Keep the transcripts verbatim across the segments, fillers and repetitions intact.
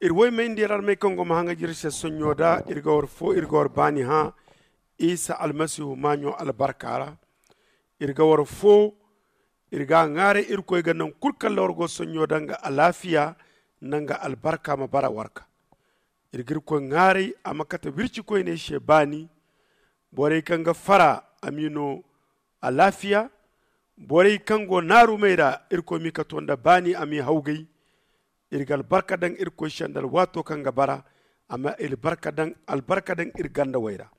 Iri woy may nda iri armey kaŋ go ma haŋa jiri se sonɲo da iri ga war fo iri ga war baani hã isa almasihu maaɲo albarka ra. Iri ga war fo iri ga a ŋwaaray irkoy ga naŋ kulu kaŋ ra war go sonɲo da nga alaafiya nda nga albarka ma bara war ga. Iri ga irkoy ŋwaaray a ma kate wirci koyney se baani. Borey kaŋ ga fara a m'i no alaafiya. Borey kaŋ go naarumey ra irkoy m'i kato nda baani a m'i hawgay. Iri ga albarka daŋ irkoy se nda alwaato kaŋ ga bara. Amma iri ga albarka daŋ iri gandawey ra.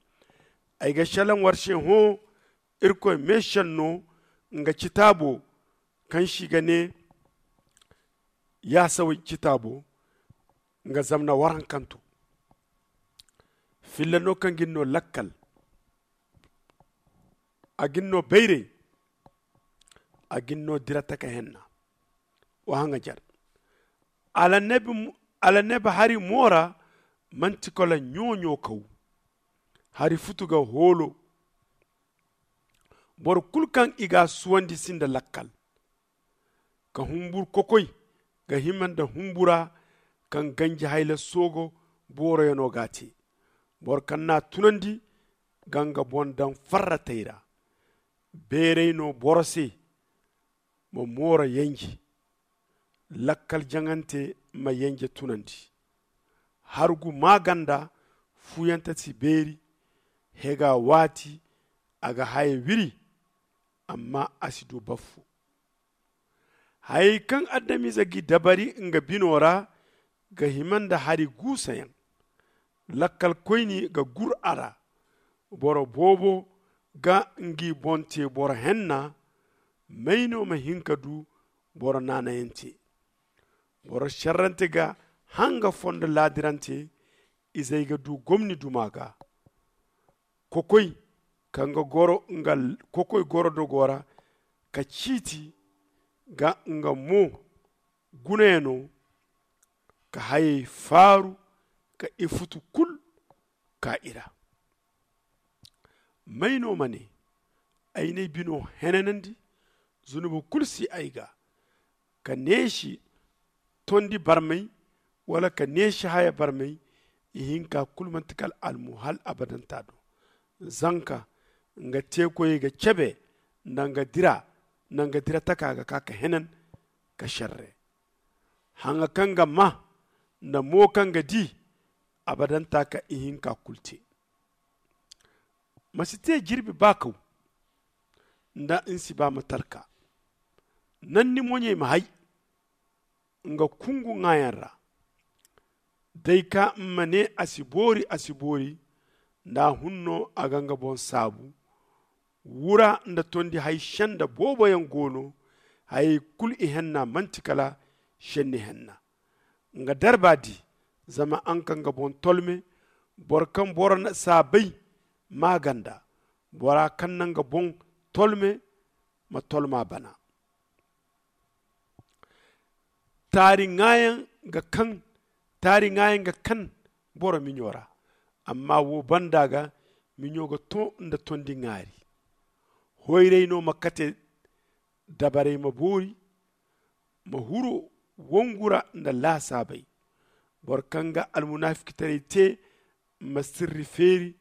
Ay ga selaŋ war se hõ irkoy meesenno nga citaabo kaŋ se i ga ne yaasawey citaabo. Nga zamna warankanto filla no kaŋ ga ni no lakkal. A ga ni no bayray. A ga ni no dira taka henna. Wa haŋajer alannabi hari mo ra manti kala ɲo-ɲo kaw. Hari futu ga hoolo. Boro kulu kaŋ i ga a suwandi sinda lakkal. Ka humbur kokoy ga hima nda humbura kaŋ ganji hayla soogo booroyano ga a te. Boro kaŋ n'a tunandi ga nga boŋ daŋ farratey ra. Beeray no boro se ma mooro yenje. Lakkal jaŋante ma yenje tunandi. Hargu maaganda fuuyante si beeri. Hega waati a ga haya wiri. Amma a si du baffu. Hayey kaŋ adamize g'i dabari nga bino ra ga hima nda hari guusayaŋ. Lakkalkoyni ga gur a ra. Boro boobo ga ngi boŋ te boro henna. May no ma hin ka du boro naanayaŋ te? Boro serrante ga hanga fondo laadirante. Izey ga du gomni duma ga. Kokoy kaŋ ga goro nga kokoy goro dogo ra ka ciiti ga nga mo gunayano. Ka hayey faaru ka ifutu kulu ka i ra. May no ma ne ay n'ay bino henanandi? Zunubu kulu si ay ga. Ka neesi tondi barmay wala ka neesi haya barmay. Ihinka kulu manti kala almu hal abadanta do. Zanka nga teekoyey ga cebe nda nga dira nda nga dira taka ga ka ka henan ka serre. Haŋa kaŋ ga ma nda mo kaŋ ga di abadanta ka ihinka kulu te. Ma si te jirbi ba kaw nda ni si ba ma talka. Nanni moɲey ma hay nga kungu ŋaayaŋ ra. Day ka ma ne a si boori a si boori. Nda a hun no a ga nga boŋ saabu. Wura nda tondi hay senda booboyaŋ go no. Hayey kulu ihenna manti kala senni henna. Nga darba di zama a nga ka nga boŋ tolme. Boro kaŋ boro na saabay maaganda. Bora kaŋ na nga boŋ tolme ma tolma bana. Taari ŋaayaŋ ga kaŋ taari ŋaayaŋ ga kaŋ boro miɲo ra. Amma wo banda ga miɲo ga to nda tondi ŋaari. Hoyray no ma kate dabarey ma boori. Ma huru wongu ra nda laasaabey. Boro kaŋ ga almunaafikatarey te ma sirri feeri.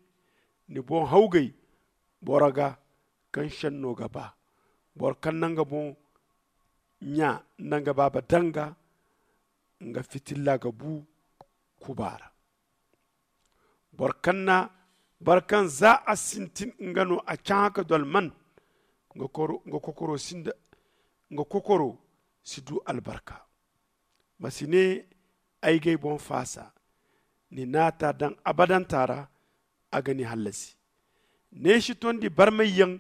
Ni boŋ hawgay boro ga kaŋ senno ga ba. Boro kaŋ na nga boŋ ɲa nda nga baaba danga nga fitilla ga bu kuba ra. Boro kaŋ na boro kaŋ za a sintin nga no a cahã ka dolman. Nga kokoro si du albarka. Ma si ne ay g'ay boŋ faasa. Ni naata daŋ abadanta ra a ga ni hallasi. Neesi tondi barmayyaŋ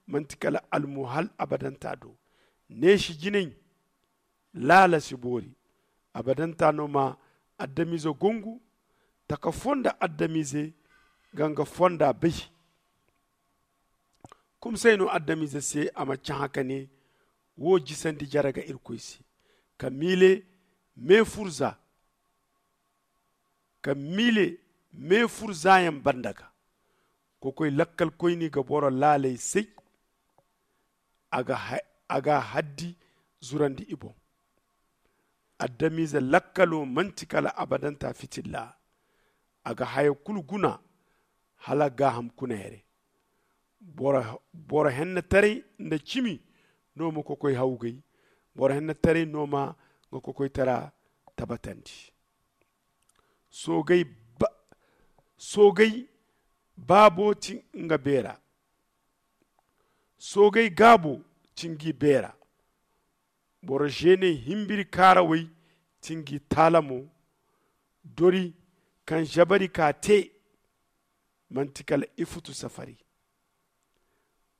manti kala almu hal abadanta do. Neesi jinay laala si boori. Abadanta no ma adamize gongu taka fonda adamize ga nga fonda bay. Kumsay no adamize se a ma cahã ka ne wo jisandi jare ga irkoy se ka miile meefur za ka miile meefur zayaŋ banda ga. Kokoy lakkalkoyni ga boro laaley say. A ga haddi zurandi i boŋ. Adamize lakkalo manti kala abadanta fitilla. A ga haya kulu guna hala gaaham kuna here. Boro hennetaray nda cimi no ma kokoy hawgay. Boro hennetaray no ma nga kokoytara tabatandi. Soogay baabo ti nga beera. Soogay gaabo ti ngi beera. Boro zeeney himbiri kaarawey ti ngi taalamo. Dori kaŋ zabari ka te manti kala ifutu safari.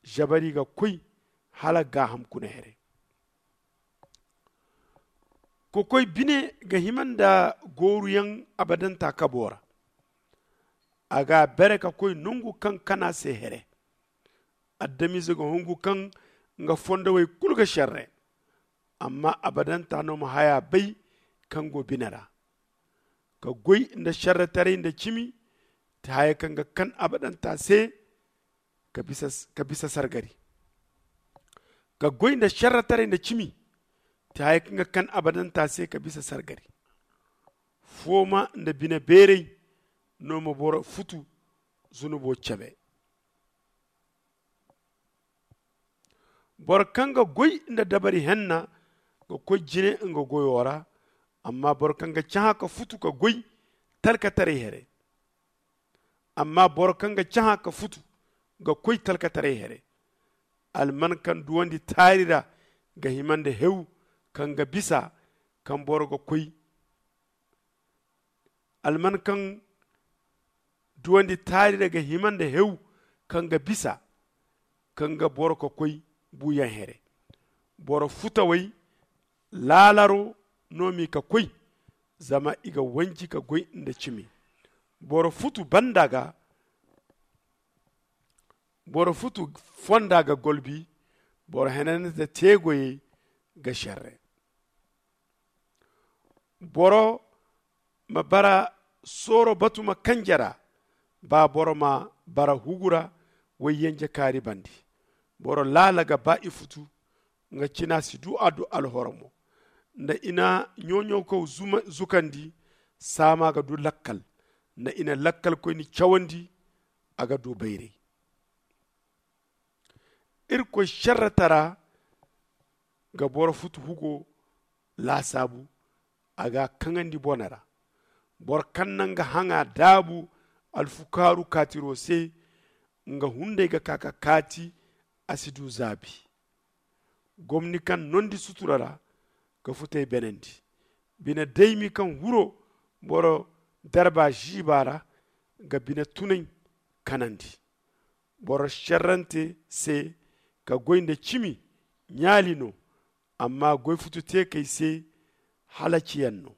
Zabari ga koy hala gaaham kuna here. Kokoy bine ga hima nda gooruyaŋ abadanta kabo ra. A ga a bere ka koy nongu kaŋ kana se here. Adamize ga hungu kaŋ nga fondowey kulu ga serre. Amma abadanta no ma haya bay kaŋ go bine ra. Ka goy nda serretaray nda cimi ti haya kaŋ ga kan abadanta se. Ka bisa sargari. Ka goy nda serretaray nda cimi ti haya kaŋ ga kan abadanta se ka bisa sargari. Fooma nda bine beeray no ma boro futu zunubo cabe. Boro kaŋ ga goy nda dabari henna ga koy jine nga goyo ra. Amma boro kaŋ ga cahã ka futu ka goy talkataray here. Amma boro kaŋ ga cahã ka futu ga koy talkataray here. Alman kaŋ duwandi taari ra ga hima nda hew kaŋ ga bisa kaŋ boro ga koy. Alman kaŋ duwandi taari ra ga hima nda hew kaŋ ga bisa kaŋ ga boro ka koy buuyaŋ here. Boro futawey laalaro no m'i ka koy. Zama i ga wanji ka goy nda cimi. Boro futu banda ga boro futu fonda ga golbi. Boro henanante teegoyey ga serre. Boro ma bara sooro batuma kanje ra. Ba boro ma bara hugu ra wayyenje kaari bandi. Boro laala ga ba ifutu nga cina si du a du alhoromo. Nda i na ɲo-ɲawkaw zukandi saama ga du lakkal. Nda i na lakkalkoyni cawandi a ga du bayray. Irkoy serretara ga boro futu hugo laasaabu. A ga a kaŋandi bone ra. Boro kaŋ na nga haŋa daabu alfukaaru kaatiro se. Nga hunday ga ka ka kaati a si du zaabi. Gomni kaŋ nondi sutura ra ga futay benandi. Bine daymi kaŋ huro boro darba ziiba ra ga bine tunay kanandi. Boro serrante se ka goy nda cimi ɲaali no. Amma goy futu teekey se halaciyaŋ no.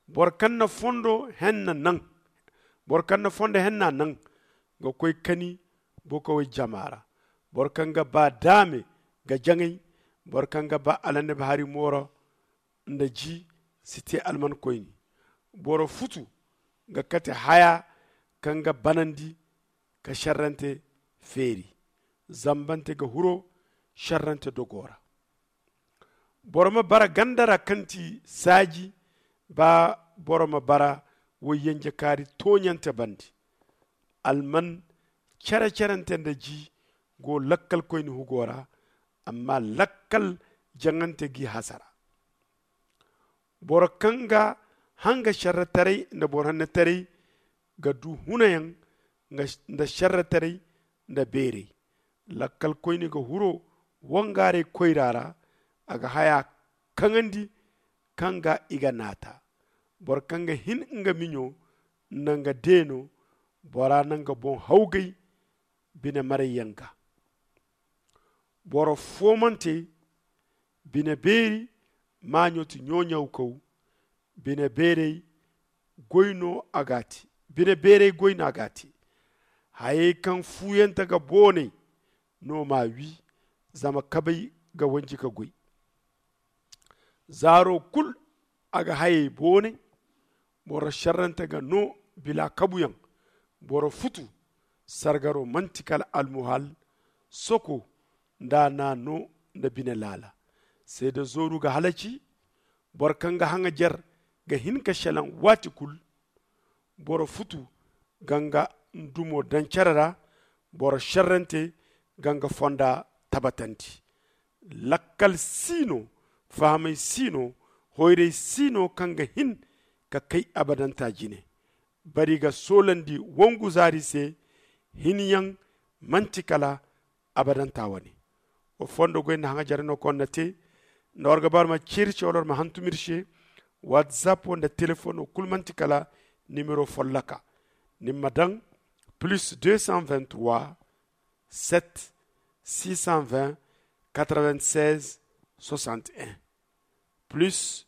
Boro kaŋ na fondo henna naŋ boro kaŋ na fondo henna naŋ ga koy kani bokawey jama ra. Boro kaŋ ga ba daame ga jaŋay. Boro kaŋ ga ba alannabi hari mooro nda ji si te almankoyni. Boro futu ga kate haya kaŋ ga banandi ka serrante feeri. Zambante ga huro serrante dogo ra. Boro ma bara ganda ra kaŋ ti saaji. Ba boro ma bara wayyenje kaari tooɲante bande. Alman cere-cerente nda ji go lakkalkoyni hugo ra. Amma lakkal jaŋante g'i hasara. Boro kaŋ ga hanga serretaray nda boro hannetaray ga du hunayaŋ nda serretaray nda beeray. Lakkalkoyne ga huro wangaaray koyra ra. A ga haya kaŋandi kaŋ ga i ga naata. Boro kaŋ ga hin nga miɲo nda nga deeno bora na nga boŋ hawgay bine marayyaŋ ga. Boro foomante bine beeri maaɲo ti ɲooɲawkaw. Bine beeray goy no a ga a te. Bine beeray goy no a ga a te. Hayey kaŋ fuuyante ga boonay no m'a wi. Zama kabay ga wanji ka goy. Zaaro kulu a ga hayey boonay. Boro serrante ga no bila kabuyaŋ. Boro futu sargaro manti kala almuhal soko nda a na no nda bine laala. Seede zooru ga halaci. Boro kaŋ ga haŋajer ga hin ka selaŋ waati kulu. Boro futu ga nga ndumo daŋ cere ra. Boro šerrante ga nga fonda tabatandi. Lakkal si no, fahamay si no, hoyray si no kaŋ ga hin ka kay abadanta jine. Bari ga soolandi wangu zaari se. Hinyaŋ manti kala abadanta wane. Wa fondo goy nda haŋajer no kaŋ war na te. Nda war ga ba war ma ceeri se wala war ma hantum ir se. Whatsapp wo nda telefoŋ wo kulu manti kala nimero folloka. Ni ma daŋ plus deux cent vingt-trois, sept, six cent vingt, quatre-vingt-seize, soixante et un. Plus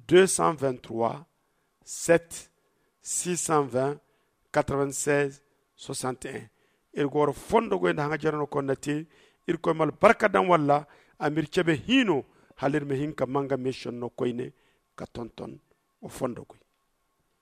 deux cent vingt-trois, sept, six cent vingt, quatre-vingt-seize, soixante et un. Iri ga war fondo goy nda haŋajer no kaŋ war na te. Irkoy ma albarka daŋ walla a ma ir cebe hiino hala ir ma hin ka manga meesenno koyne ka tonton. Wa fondo goy.